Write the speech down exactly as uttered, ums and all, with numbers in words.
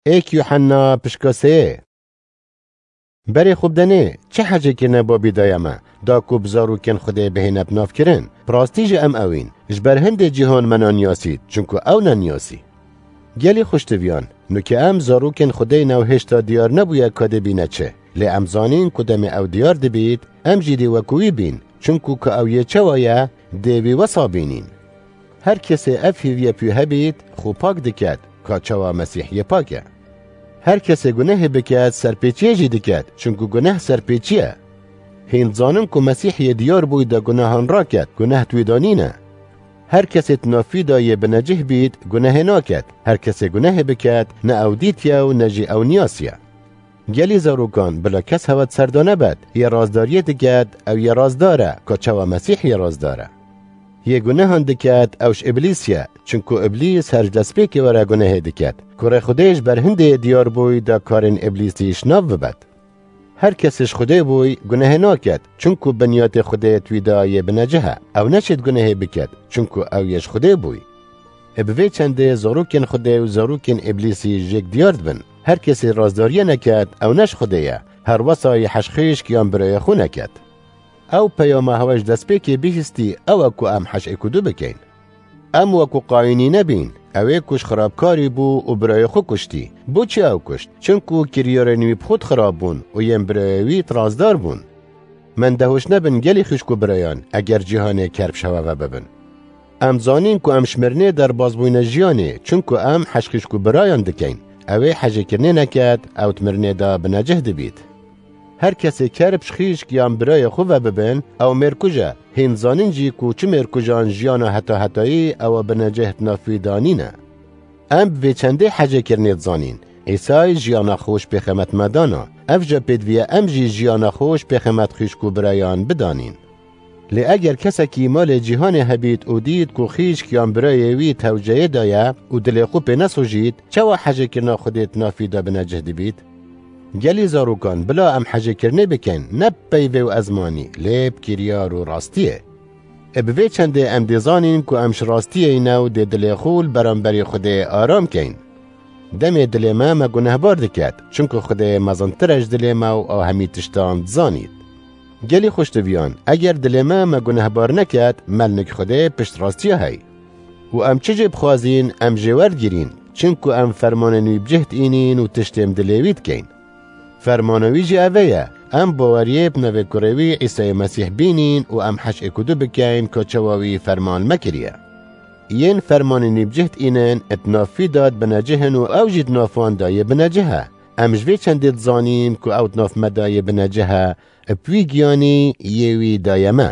Êk Yuhanna pişka sê. Berê xwe bidenê, çi hecê kirine babî daye me, da ku bi zarokên Xwedê bihêne bi navkirin. Bi rastî jî em ewîn. Ji ber hindê cîhan me naniyasît, çunku ew naniyasî. Gelî xuştiviyan, nuke em zarokên Xwedê ne û hêşta diyar nebûye ka dê bîne çi. Lê em zanîn ku demê ew diyar dibît, em jî dê wekû wî bîn, çunku ka ew yê çawa ye, dê wî wesa bînîn. Her kesê ev hîviye pû hebît, xwe pak diket, ka çawa Mesîh yê pak e. Her kesê gunehê biket, serpêçiyê jî diket, çunku guneh serpêçî ye. Hîn dizanin ku Mesîh yê diyar bûy da gunehan raket, guneh di wî da nîne. Her kesê di nav wî da yê binecih bît, gunehê naket. Her kesê gunehê biket, ne ew dîtiye û ne jî ew niyasiye. Gelî zarokan, bila kes hewa di ser da nebet, yê razdariyê diket, ew yê razdar e, ka çawa Mesîh yê razdar e. Yê gunehan diket, ew ji Îblîs ye, çunku Îblîs her ji destpêkê were gunehê diket. Kurê Xwedê ji ber hindê diyar bûy da karên Îblîsî ji nav bibet. Her kesê ji Xwedê bûy, gunehê naket, çunku binyatê Xwedê di wî da yê binecih e. Ew neşêt gunehê biket, çunku ew yê ji Xwedê bûy. Ê bi vê çendê zarokên Xwedê û zarokên Îblîsî jêk diyar dibin. Her kesê razdariyê neket, ew ne ji Xwedê ye. Her wesa yê heşxîşk yan birayê xwe neket. Ew peyama hewa ji destpêkê bihîstî, ew e ku em heş êk û du bikeyn. Em wekû Qayînî nebîn, ew ê ku ji xirabkarî bû û birayê xwe kuştî. Bo çi ew kuşt? Çinku kiryarên wî bi xwe di xirab bûn û yên birayê wî di razdar bûn. Mendehûş nebin gelî xwişk û birayan, eger cîhanê ker bi şewa ve bibin. Em zanîn ku em ji mirinê derbas bûyne jiyanê, çinku em heşxîşk û birayan dikeyn. Ew ê hejêkirinê neket, ew di mirinê de binecih dibît. Her kesê ker bi ji xîşk yan birayê xwe ve bibin, ew mêrkuj e. Hîn zanin jî ku çi mêrkujan jiyana heta hetayî ew a binecih di nav wî de nîne. Em bi vê çendê hecêkirinê dizanîn. Îsay jiyana xwe ji pêxemet me dana. Ev jî pêdiviye em jî jiyana xwe ji pêxemet xwişk û birayan bidanîn. Lê eger kesekî malê cîhanê hebît û dît ku xîşk yan birayê wî tewceyê daye û dilê xwe pê nesojît, çawa hecêkirina Xwedê di nav wî de binecih dibît? Gelî zarokan, bila em hecêkirinê bikin, ne bi peyvê û ezmanî, lê bi kiryar û rastiyê. Ê bi vê çendê em dê zanîn ku em ji rastiyê ne û dê dilê xwe li beramberî Xwedê aram keyn. Demê dilê me me gunehbar diket, çunku Xwedê mezintir e ji dilê me û a hemî tiştan dizanît. Gelî xweştiviyan, eger dilê me me gunehbar neket, me li nik Xwedê pişt rastiya hey. Û em çi jê bixwazîn, em jê werdigirîn, çinku em fermanên wî bi cih diînîn û tiştên dilê wî dikeyn. Fermana wî jî eve ye, em baweriyê bi navê kurê wî Îsayê Mesîh bînîn û em heş êk û du bikeyn ka çawa wî ferman me kiriye. Yên fermanên wî bi cih diînin, di nav wî de dibine cihin û ew jî di nav wan de yê binecih e. Em ji vê çendê dizanîn ku ew di nav me de yê binecih e, bi wî giyanî yê wî daye me.